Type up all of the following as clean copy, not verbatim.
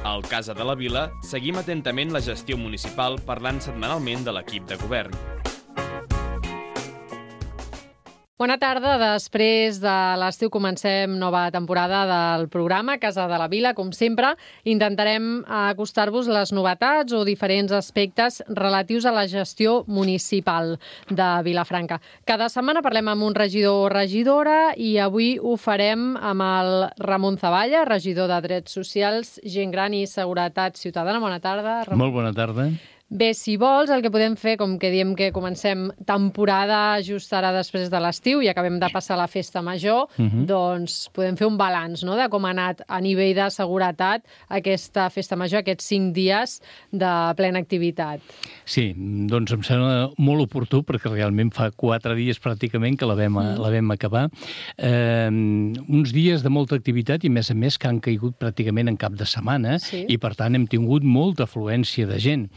Al Casa de la Vila seguim atentament la gestió municipal parlant setmanalment de l'equip de govern. Bona tarda. Després de l'estiu comencem nova temporada del programa Casa de la Vila. Com sempre, intentarem acostar-vos les novetats o diferents aspectes relatius a la gestió municipal de Vilafranca. Cada setmana parlem amb un regidor o regidora i avui ho farem amb el Ramon Zavalla, regidor de Drets Socials, Gent Gran i Seguretat Ciutadana. Bona tarda, Ramon. Molt bona tarda. Bé, si vols, el que podem fer, com que diem que comencem temporada just ara després de l'estiu i acabem de passar la festa major, doncs podem fer un balanç, no?, de com ha anat a nivell de seguretat aquesta festa major, aquests 5 dies de plena activitat. Sí, doncs em sembla molt oportú perquè realment fa 4 dies pràcticament que la vam acabar. Uns dies de molta activitat i, a més, que han caigut pràcticament en cap de setmana i, per tant, hem tingut molta afluència de gent.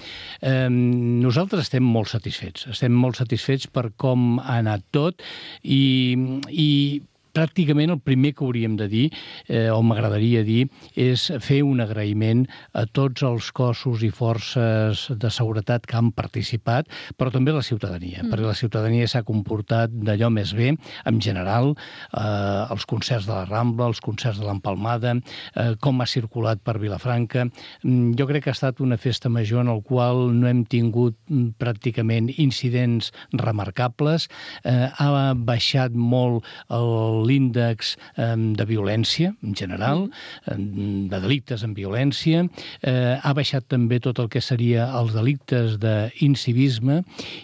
Nosaltres estem molt satisfets per com ha anat tot i pràcticament el primer que hauríem de dir, o m'agradaria dir, és fer un agraïment a tots els cossos i forces de seguretat que han participat, però també la ciutadania, perquè la ciutadania s'ha comportat d'allò més bé, en general, els concerts de la Rambla, els concerts de l'Empalmada, com ha circulat per Vilafranca. Jo crec que ha estat una festa major en la qual no hem tingut pràcticament incidents remarcables, ha baixat molt l'índex de violència, en general, de delictes en violència, ha baixat també tot el que seria els delictes d'incivisme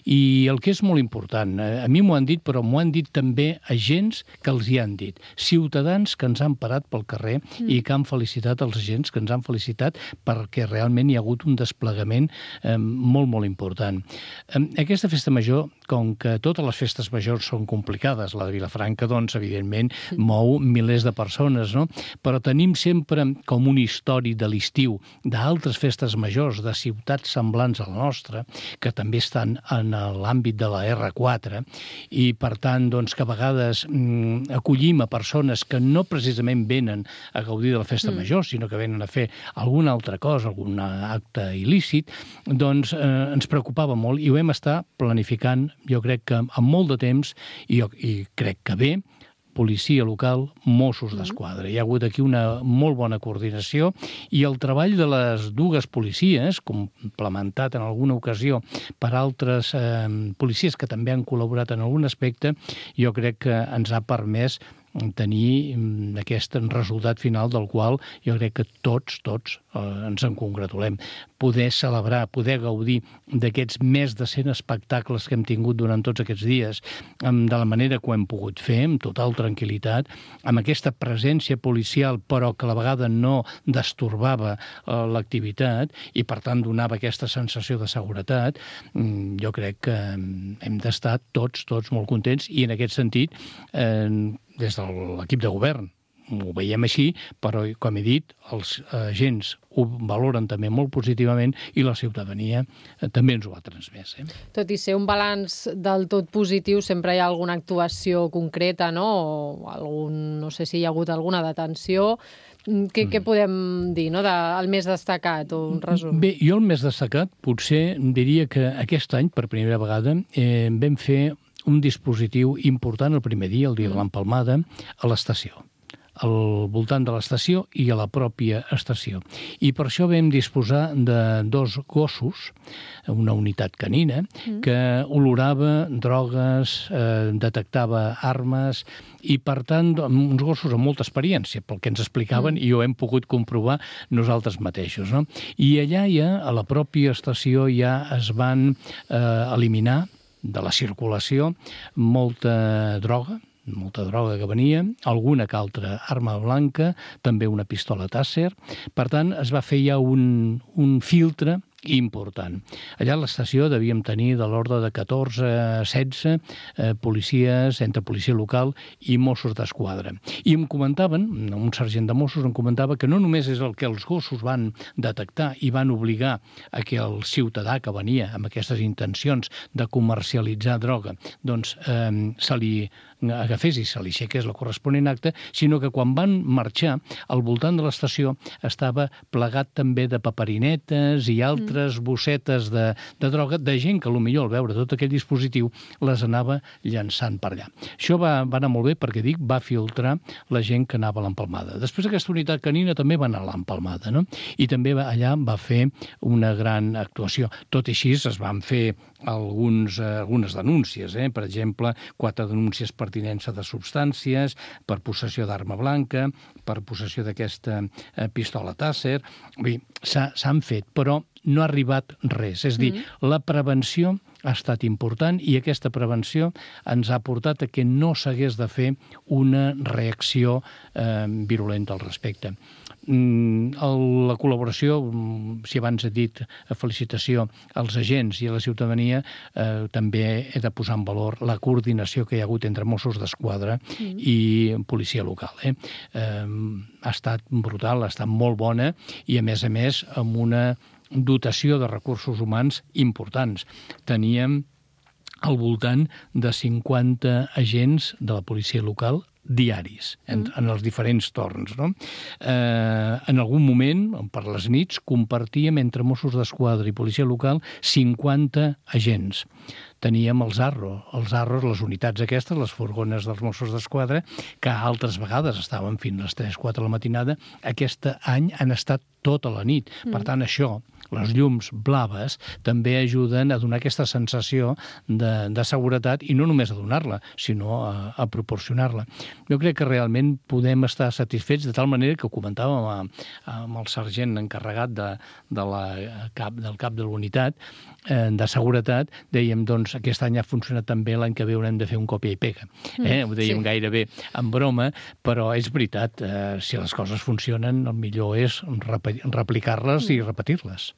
i el que és molt important, a mi m'ho han dit, però m'ho han dit també agents que els hi han dit, ciutadans que ens han parat pel carrer i que han felicitat els agents, que ens han felicitat perquè realment hi ha hagut un desplegament molt, molt important. Aquesta festa major, com que totes les festes majors són complicades, la de Vilafranca, doncs, evidentment, mou milers de persones, no? Però tenim sempre com un històric de l'estiu d'altres festes majors de ciutats semblants a la nostra, que també estan en l'àmbit de la R4, i per tant, doncs, que a vegades acollim a persones que no precisament venen a gaudir de la festa major, sinó que venen a fer alguna altra cosa, algun acte il·lícit, doncs ens preocupava molt i ho vam estar planificant, jo crec que amb molt de temps, i crec que bé, policia local, Mossos d'Esquadra. Hi ha hagut aquí una molt bona coordinació i el treball de les dues policies, complementat en alguna ocasió per altres policies que també han col·laborat en algun aspecte, jo crec que ens ha permès tenir aquest resultat final del qual jo crec que tots ens en congratulem. Poder celebrar, poder gaudir d'aquests més de 100 espectacles que hem tingut durant tots aquests dies de la manera que ho hem pogut fer, amb total tranquil·litat, amb aquesta presència policial però que a la vegada no destorbava l'activitat i per tant donava aquesta sensació de seguretat, jo crec que hem d'estar tots molt contents i en aquest sentit des de l'equip de govern ho veiem així, però, com he dit, els agents ho valoren també molt positivament i la ciutadania també ens ho ha transmès. Tot i ser un balanç del tot positiu, sempre hi ha alguna actuació concreta, no? O no sé si hi ha hagut alguna detenció. Què podem dir, no?, del més destacat, o un resum? Bé, jo el més destacat potser diria que aquest any, per primera vegada, vam fer un dispositiu important el primer dia, el dia de l'Empalmada, a l'estació, al voltant de l'estació i a la pròpia estació. I per això vam disposar de 2 gossos, una unitat canina, que olorava drogues, detectava armes i, per tant, uns gossos amb molta experiència, pel que ens explicaven i ho hem pogut comprovar nosaltres mateixos, no? I allà a la pròpia estació ja es van eliminar de la circulació molta droga que venia, alguna que altra arma blanca, també una pistola Taser. Per tant, es va fer ja un filtre important. Allà a l'estació devíem tenir de l'ordre de 14-16 policies, entre policia local i Mossos d'Esquadra. I em comentaven, un sergent de Mossos em comentava que no només és el que els gossos van detectar i van obligar a que el ciutadà que venia amb aquestes intencions de comercialitzar droga doncs se li agafés i se li aixequés la corresponent acta, sinó que quan van marxar, al voltant de l'estació estava plegat també de paperinetes i altres bossetes de droga, de gent que potser al veure tot aquell dispositiu les anava llançant per allà. Això va anar molt bé perquè, dic, va filtrar la gent que anava a l'empalmada. Després aquesta unitat canina també va anar a l'empalmada, no? I també allà va fer una gran actuació. Tot i així es van fer algunes denúncies, per exemple, 4 denúncies per tinença de substàncies, per possessió d'arma blanca, per possessió d'aquesta pistola Taser. S'han fet, però no ha arribat res. És a dir, la prevenció ha estat important i aquesta prevenció ens ha portat a que no s'hagués de fer una reacció virulenta al respecte. La col·laboració, si abans he dit felicitació als agents i a la ciutadania, també he de posar en valor la coordinació que hi ha hagut entre Mossos d'Esquadra i policia local. Ha estat brutal, ha estat molt bona i, a més, amb una dotació de recursos humans importants. Teníem al voltant de 50 agents de la policia local diaris, en els diferents torns. No? En algun moment, per les nits, compartíem entre Mossos d'Esquadra i policia local 50 agents. Teníem els arros, les unitats aquestes, les furgones dels Mossos d'Esquadra, que altres vegades estaven fins a les 3-4 de la matinada. Aquest any han estat tota la nit. Per tant, això, les llums blaves, també ajuden a donar aquesta sensació de seguretat i no només a donar-la, sinó a proporcionar-la. Jo crec que realment podem estar satisfets, de tal manera que ho comentàvem amb el sergent encarregat del cap de l'unitat de seguretat, dèiem, doncs, aquest any ha funcionat tan bé, l'any que ve haurem de fer un copia i pega. Ho dèiem gairebé en broma, però és veritat, si les coses funcionen, el millor és replicar-les i repetir-les.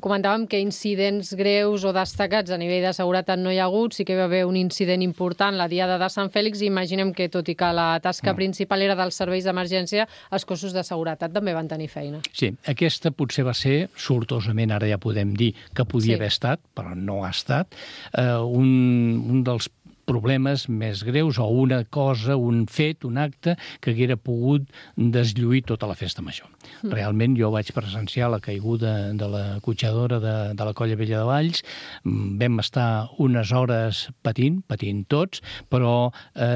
Comentàvem que incidents greus o destacats a nivell de seguretat no hi ha hagut, sí que hi va haver un incident important la diada de Sant Fèlix i imaginem que, tot i que la tasca principal era dels serveis d'emergència, els cossos de seguretat també van tenir feina. Sí, aquesta potser va ser, sortosament ara ja podem dir que podia haver estat, però no ha estat, un dels problemes més greus o una cosa, un fet, un acte que haguera pogut deslluir tota la festa major. Realment jo vaig presenciar la caiguda de la cotxadora de la Colla Vella de Valls, vam estar unes hores patint tots, però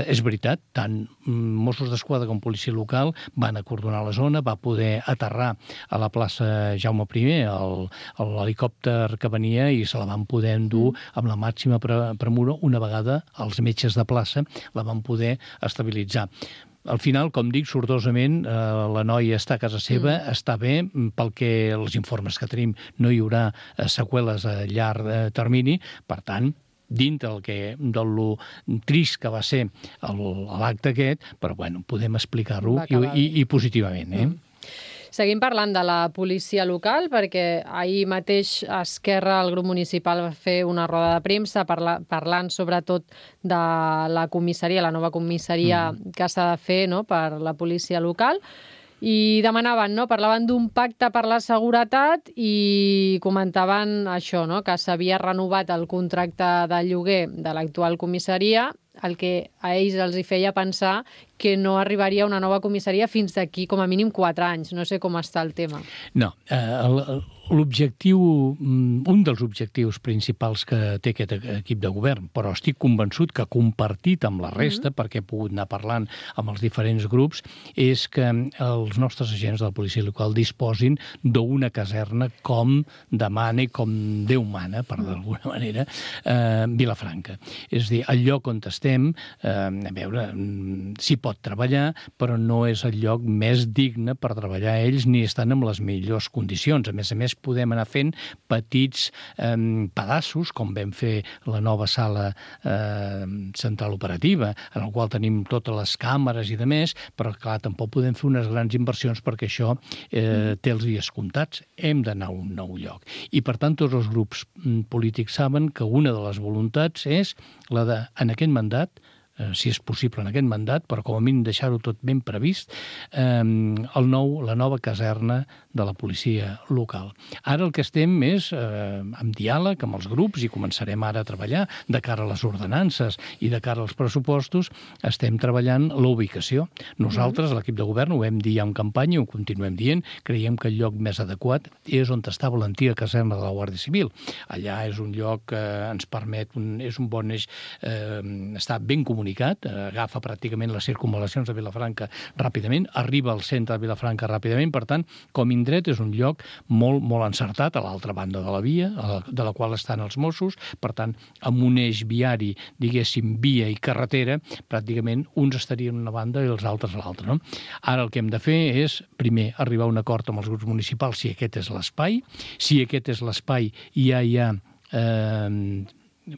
és veritat, tant Mossos d'Esquadra com policia local van acordonar la zona, va poder aterrar a la plaça Jaume I l'helicòpter que venia i se la van poder endur amb la màxima premura una vegada els metges de plaça la van poder estabilitzar. Al final, com dic, sortosament, la noia està a casa seva, està bé, pel que els informes que tenim no hi haurà seqüeles a llarg termini, per tant, dintre del trist que va ser l'acte aquest, però bueno, podem explicar-ho i positivament, Seguim parlant de la policia local, perquè ahir mateix Esquerra, el grup municipal, va fer una roda de premsa parlant sobretot de la comissaria, la nova comissaria que s'ha de fer per la policia local, i demanaven, parlaven d'un pacte per la seguretat i comentaven això, que s'havia renovat el contracte de lloguer de l'actual comissaria, el que a ells els hi feia pensar que no arribaria una nova comissaria fins d'aquí com a mínim 4 anys. No sé com està el tema. No, un dels objectius principals que té aquest equip de govern, però estic convençut que compartit amb la resta, perquè he pogut anar parlant amb els diferents grups, és que els nostres agents de la policia local disposin d'una caserna com demana i com Déu mana, per d'alguna manera, Vilafranca. És a dir, el lloc on estem, a veure, s'hi pot treballar, però no és el lloc més digne per treballar ells ni estan en les millors condicions. A més, podem anar fent petits pedaços, com vam fer la nova sala central operativa, en el qual tenim totes les càmeres i demés, però clar, tampoc podem fer unes grans inversions perquè això té els dies comptats. Hem d'anar a un nou lloc. I per tant, tots els grups polítics saben que una de les voluntats és la de, en aquest mandat, si és possible en aquest mandat, però com a mínim deixar-ho tot ben previst, la nova caserna de la policia local. Ara el que estem és amb diàleg amb els grups i començarem ara a treballar de cara a les ordenances i de cara als pressupostos, estem treballant la ubicació. Nosaltres, l'equip de govern, ho vam dir ja en campanya i ho continuem dient, creiem que el lloc més adequat és on estava l'antiga caserna de la Guàrdia Civil. Allà és un lloc que ens permet, és un bon eix, està ben comunicat, agafa pràcticament les circunvalacions de Vilafranca ràpidament, arriba al centre de Vilafranca ràpidament, per tant, com a indret és un lloc molt, molt encertat a l'altra banda de la via, de la qual estan els Mossos, per tant, amb un eix viari, diguéssim, via i carretera, pràcticament uns estarien a una banda i els altres a l'altra, no? Ara el que hem de fer és, primer, arribar a un acord amb els grups municipals si aquest és l'espai, si aquest és l'espai i ja hi ha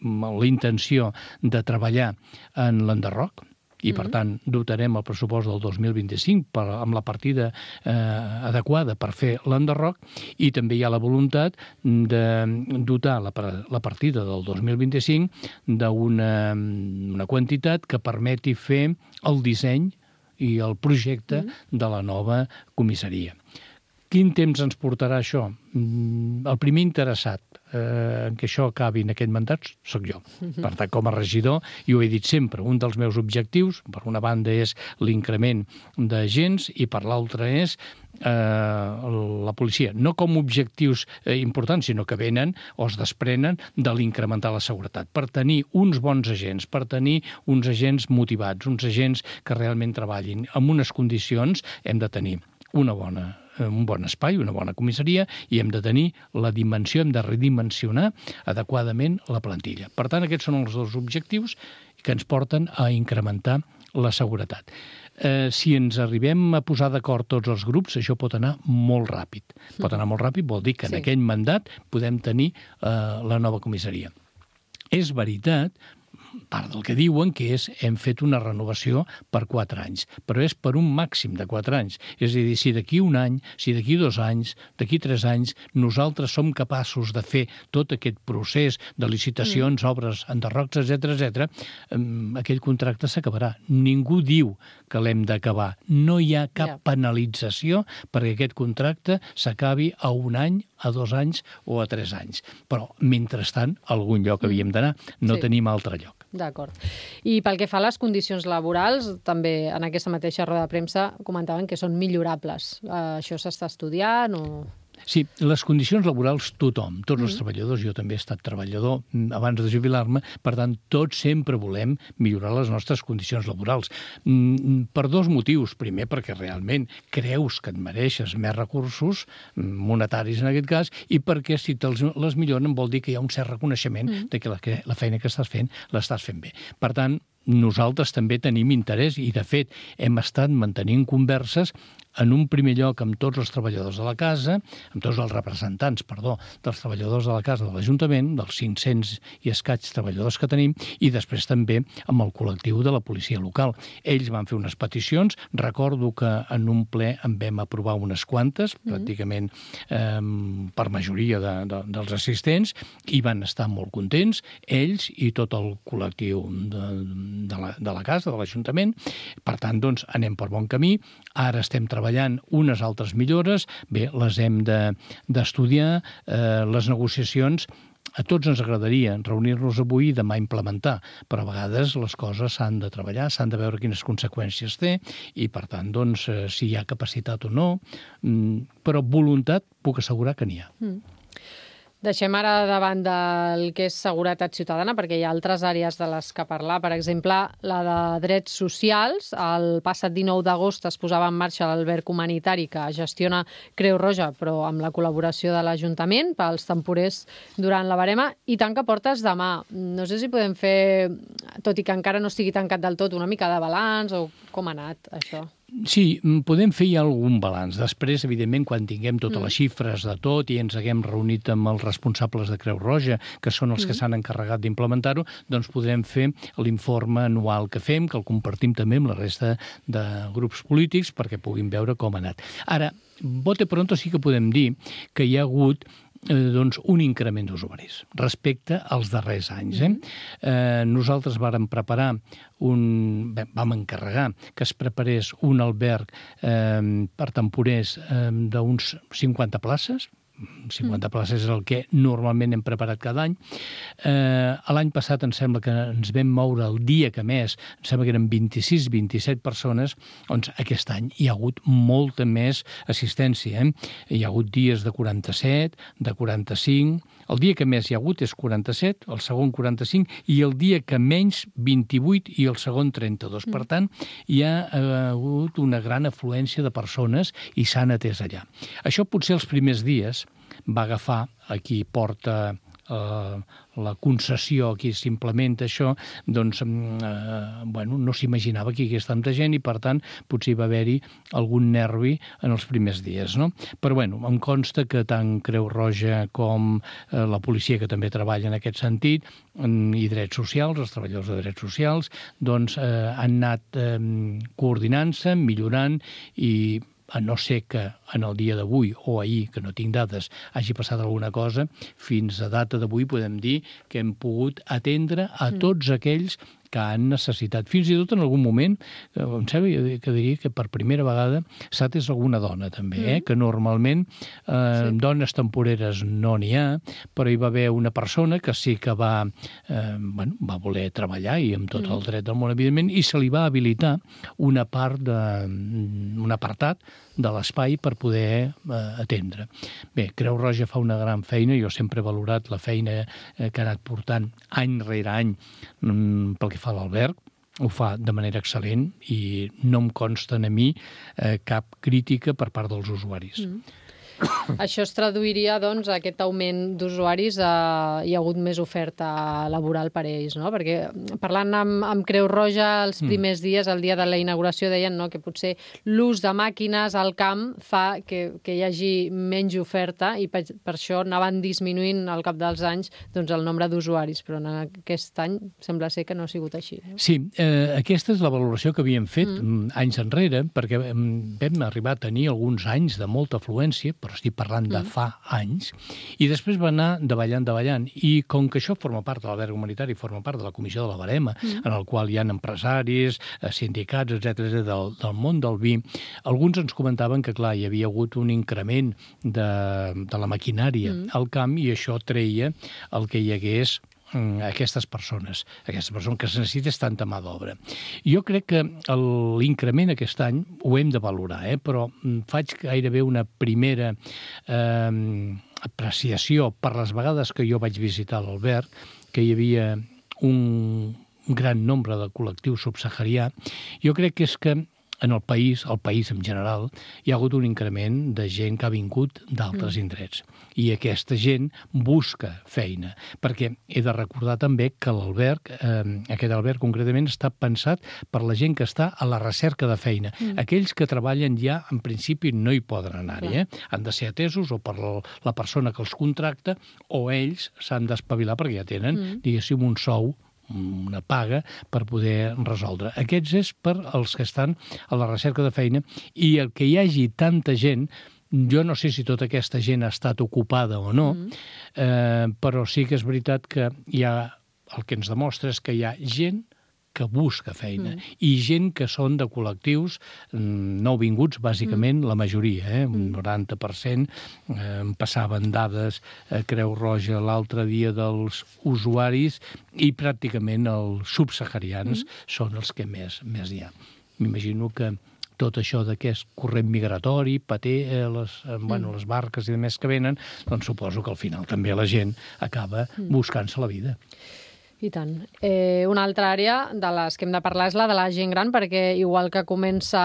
la intenció de treballar en l'enderroc, i per tant dotarem el pressupost del 2025 amb la partida adequada per fer l'enderroc, i també hi ha la voluntat de dotar la partida del 2025 d'una quantitat que permeti fer el disseny i el projecte de la nova comissaria. Quin temps ens portarà això? El primer interessat en què això acabi en aquest mandat sóc jo. Per tant, com a regidor, i ho he dit sempre, un dels meus objectius, per una banda és l'increment d'agents i per l'altra és la policia. No com objectius importants, sinó que venen o es desprenen de l'incrementar la seguretat. Per tenir uns bons agents, per tenir uns agents motivats, uns agents que realment treballin amb unes condicions, hem de tenir un bon espai, una bona comissaria, i hem de tenir la dimensió, hem de redimensionar adequadament la plantilla. Per tant, aquests són els dos objectius que ens porten a incrementar la seguretat. Si ens arribem a posar d'acord tots els grups, això pot anar molt ràpid. Pot anar molt ràpid, vol dir que en aquell mandat podem tenir la nova comissaria. És veritat, part del que diuen, que és hem fet una renovació per 4 anys, però és per un màxim de 4 anys. És a dir, si d'aquí un any, si d'aquí 2 anys, d'aquí 3 anys, nosaltres som capaços de fer tot aquest procés de licitacions, obres, enderrocs, etc., aquell contracte s'acabarà. Ningú diu que l'hem d'acabar. No hi ha cap penalització perquè aquest contracte s'acabi a 1 any, a 2 anys o a 3 anys. Però, mentrestant, a algun lloc havíem d'anar. No tenim altre lloc. D'acord. I pel que fa a les condicions laborals, també en aquesta mateixa roda de premsa comentaven que són millorables. Això s'està estudiant o...? Sí, les condicions laborals tothom, tots els treballadors, jo també he estat treballador abans de jubilar-me, per tant, tots sempre volem millorar les nostres condicions laborals. Per 2 motius. Primer, perquè realment creus que et mereixes més recursos, monetaris en aquest cas, i perquè si te'ls les milloren vol dir que hi ha un cert reconeixement de que la feina que estàs fent l'estàs fent bé. Per tant, nosaltres també tenim interès i, de fet, hem estat mantenint converses en un primer lloc amb tots els treballadors de la casa, amb tots els representants, dels treballadors de la casa de l'Ajuntament, dels 500 i escaig treballadors que tenim, i després també amb el col·lectiu de la policia local. Ells van fer unes peticions, recordo que en un ple en vam aprovar unes quantes, pràcticament per majoria dels assistents, i van estar molt contents, ells i tot el col·lectiu de la casa, de l'Ajuntament. Per tant, doncs, anem per bon camí. Ara estem treballant unes altres millores. Bé, les hem d'estudiar. Les negociacions, a tots ens agradaria reunir-nos avui i demà implementar, però a vegades les coses s'han de treballar, s'han de veure quines conseqüències té i, per tant, doncs, si hi ha capacitat o no. Però voluntat puc assegurar que n'hi ha. Deixem ara davant del que és seguretat ciutadana, perquè hi ha altres àrees de les que parlar. Per exemple, la de drets socials. El passat 19 d'agost es posava en marxa l'alberg humanitari que gestiona Creu Roja, però amb la col·laboració de l'Ajuntament pels temporers durant la verema, i tanca portes demà. No sé si podem fer, tot i que encara no estigui tancat del tot, una mica de balanç o com ha anat això. Sí, podem fer ja algun balanç. Després, evidentment, quan tinguem totes les xifres de tot i ens haguem reunit amb els responsables de Creu Roja, que són els que s'han encarregat d'implementar-ho, doncs podrem fer l'informe anual que fem, que el compartim també amb la resta de grups polítics perquè puguin veure com ha anat. Ara, bote pronto sí que podem dir que hi ha hagut un increment d'usuaris respecte als darrers anys. Nosaltres vàrem preparar vam encarregar que es preparés un alberg per temporers d'uns 50 places. 50 places és el que normalment hem preparat cada any. L'any passat em sembla que ens vam moure el dia que més, em sembla que eren 26-27 persones, doncs aquest any hi ha hagut molta més assistència. Hi ha hagut dies de 47, de 45, el dia que més hi ha hagut és 47, el segon 45, i el dia que menys 28 i el segon 32. Per tant, hi ha hagut una gran afluència de persones i s'han atès allà. Això potser els primers dies va agafar a qui porta la concessió, qui s'implementa això, doncs, no s'imaginava que hi hagués tanta gent i, per tant, potser va haver-hi algun nervi en els primers dies, no? Però, em consta que tant Creu Roja com la policia, que també treballa en aquest sentit, i drets socials, els treballadors de drets socials, doncs han anat coordinant-se, millorant i a no ser que en el dia d'avui o ahir, que no tinc dades, hagi passat alguna cosa, fins a data d'avui podem dir que hem pogut atendre a tots aquells que han necessitat. Fins i tot en algun moment, em sembla que diria que per primera vegada s'ha atès alguna dona també, que normalment dones temporeres no n'hi ha, però hi va haver una persona que sí que va voler treballar i amb tot el dret del món, evidentment, i se li va habilitar una part un apartat de l'espai per poder atendre. Bé, Creu Roja fa una gran feina, jo sempre he valorat la feina que ha anat portant any rere any pel que fa a l'alberg, ho fa de manera excel·lent i no em consten a mi cap crítica per part dels usuaris. Això es traduiria, doncs, a aquest augment d'usuaris, hi ha hagut més oferta laboral per a ells, no? Perquè parlant amb Creu Roja els primers dies, el dia de la inauguració, deien que potser l'ús de màquines al camp fa que hi hagi menys oferta i per això anaven disminuint al cap dels anys el nombre d'usuaris, però en aquest any sembla ser que no ha sigut així. Sí, aquesta és la valoració que havíem fet anys enrere, perquè vam arribar a tenir alguns anys de molta afluència, però estic parlant de fa anys, i després va anar davallant, i com que això forma part de l'alberg humanitari, forma part de la comissió de la verema, en el qual hi ha empresaris, sindicats, etc., del món del vi, alguns ens comentaven que, clar, hi havia hagut un increment de la maquinària al camp i això treia el que hi hagués aquestes persones que es necessita tanta mà d'obra. Jo crec que l'increment aquest any ho hem de valorar, però faig gairebé una primera apreciació per les vegades que jo vaig visitar l'alberg, que hi havia un gran nombre de col·lectiu subsaharià. Jo crec que és que en el país en general, hi ha hagut un increment de gent que ha vingut d'altres indrets. I aquesta gent busca feina, perquè he de recordar també que l'alberg, aquest alberg concretament, està pensat per la gent que està a la recerca de feina. Aquells que treballen ja, en principi, no hi poden anar-hi. Han de ser atesos o per la persona que els contracta, o ells s'han d'espavilar perquè ja tenen, diguéssim, un sou, una paga per poder resoldre. Aquests és per als que estan a la recerca de feina, i el que hi hagi tanta gent, jo no sé si tota aquesta gent ha estat ocupada o no, però sí que és veritat que hi ha, el que ens demostra és que hi ha gent que busca feina, i gent que són de col·lectius nouvinguts, bàsicament, la majoria, un 90%. Passaven dades a Creu Roja l'altre dia dels usuaris i pràcticament els subsaharians són els que més hi ha. M'imagino que tot això de què és corrent migratori, pater, les barques i demés que venen, doncs suposo que al final també la gent acaba buscant-se la vida. I tant. Una altra àrea de les que hem de parlar és la de la gent gran, perquè igual que comença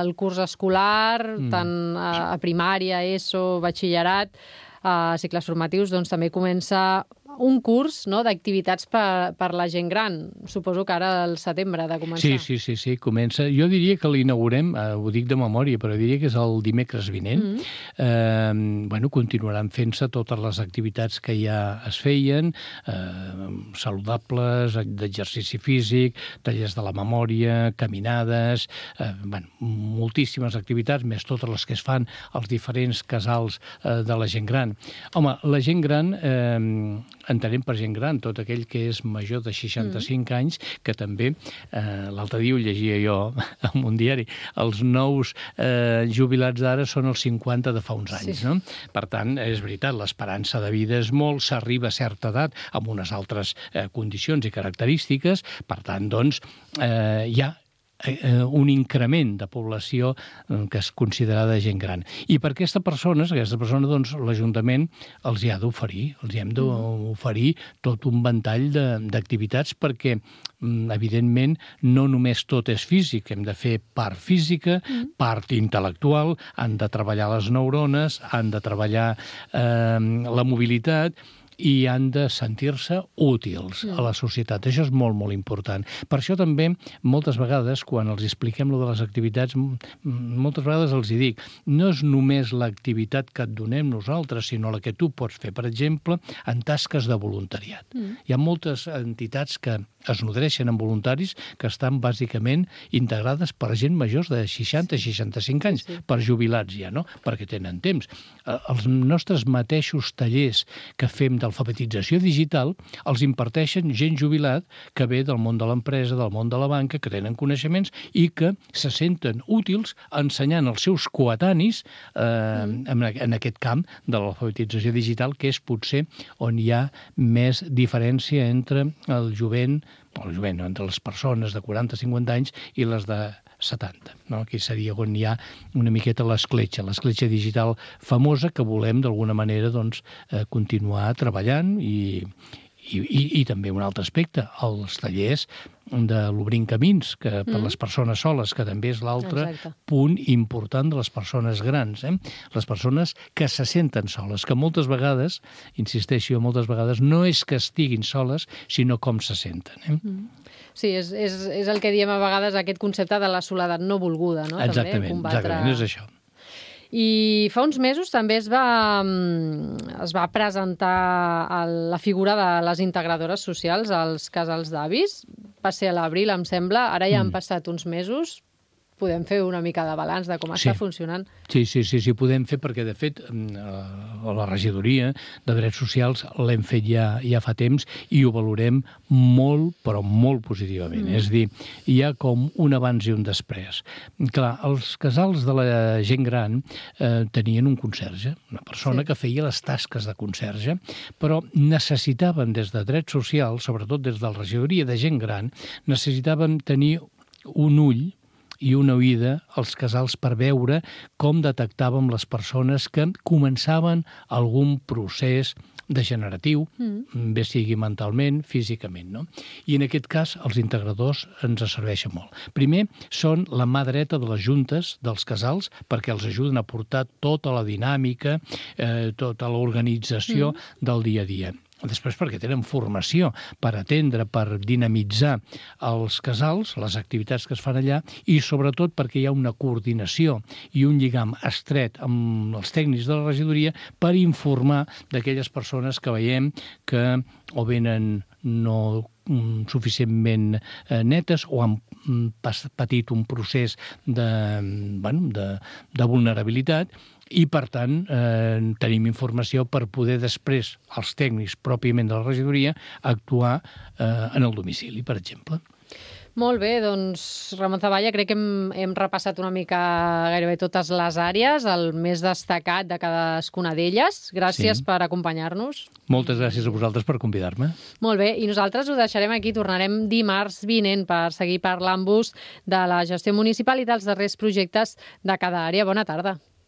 el curs escolar, tant a primària, ESO, batxillerat, a cicles formatius, doncs també comença un curs, no?, d'activitats per la gent gran. Suposo que ara al setembre ha de començar. Sí, comença. Jo diria que l'inaugurem, ho dic de memòria, però diria que és el dimecres vinent. Continuaran fent-se totes les activitats que ja es feien, saludables, d'exercici físic, tallers de la memòria, caminades, moltíssimes activitats, més totes les que es fan als diferents casals de la gent gran. Home, la gent gran, entenem per gent gran tot aquell que és major de 65 anys, que també, l'altre dia ho llegia jo en un diari, els nous jubilats d'ara són els 50 de fa uns anys, no? Per tant, és veritat, l'esperança de vida és molt, s'arriba a certa edat amb unes altres condicions i característiques, per tant, doncs, hi ha un increment de població que és considerada gent gran. I per aquesta persona, doncs, l'Ajuntament els hi ha d'oferir, els hi hem d'oferir tot un ventall d'activitats perquè, evidentment, no només tot és físic, hem de fer part física, part intel·lectual, han de treballar les neurones, han de treballar la mobilitat, i han de sentir-se útils a la societat. Això és molt, molt important. Per això també, moltes vegades, quan els expliquem lo de les activitats, moltes vegades els hi dic, no és només l'activitat que et donem nosaltres, sinó la que tu pots fer, per exemple, en tasques de voluntariat. Hi ha moltes entitats que es nodreixen amb voluntaris que estan bàsicament integrades per gent majors de 60-65 anys, per jubilats ja, no? Perquè tenen temps. Els nostres mateixos tallers que fem d'alfabetització digital els imparteixen gent jubilat que ve del món de l'empresa, del món de la banca, que tenen coneixements i que se senten útils ensenyant els seus coetanis en aquest camp de l'alfabetització digital, que és potser on hi ha més diferència entre el jovent, entre les persones de 40-50 anys i les de 70. No? Aquí seria on hi ha una miqueta l'escletxa digital famosa que volem d'alguna manera doncs, continuar treballant i també un altre aspecte, els tallers de l'Obrint Camins, que per les persones soles, que també és l'altre punt important de les persones grans. Les persones que se senten soles, que moltes vegades, insisteixo, moltes vegades no és que estiguin soles, sinó com se senten. Sí, és el que diem a vegades, aquest concepte de la soledat no volguda, no? Exactament, és això. I fa uns mesos també es va presentar la figura de les integradores socials als casals d'avis. Va ser a l'abril, em sembla. Ara ja han passat uns mesos. Podem fer una mica de balanç de com està funcionant. Sí, podem fer, perquè de fet la regidoria de drets socials l'hem fet ja fa temps i ho valorem molt, però molt positivament. És a dir, hi ha com un abans i un després. Clar, els casals de la gent gran tenien un conserge, una persona que feia les tasques de conserge, però necessitaven des de drets socials, sobretot des de la regidoria de gent gran, necessitaven tenir un ull i una oïda als casals per veure com detectàvem les persones que començaven algun procés degeneratiu, bé sigui mentalment, físicament, no? I en aquest cas els integradors ens serveixen molt. Primer, són la mà dreta de les juntes dels casals perquè els ajuden a portar tota la dinàmica, tota l'organització del dia a dia. Després perquè tenen formació per atendre, per dinamitzar els casals, les activitats que es fan allà, i sobretot perquè hi ha una coordinació i un lligam estret amb els tècnics de la regidoria per informar d'aquelles persones que veiem que o venen no suficientment netes o han patit un procés de vulnerabilitat, i, per tant, tenim informació per poder després, els tècnics pròpiament de la regidoria, actuar en el domicili, per exemple. Molt bé, doncs Ramon Zavalla, crec que hem repassat una mica gairebé totes les àrees, el més destacat de cadascuna d'elles. Gràcies per acompanyar-nos. Moltes gràcies a vosaltres per convidar-me. Molt bé, i nosaltres ho deixarem aquí. Tornarem dimarts vinent per seguir parlant-vos de la gestió municipal i dels darrers projectes de cada àrea. Bona tarda.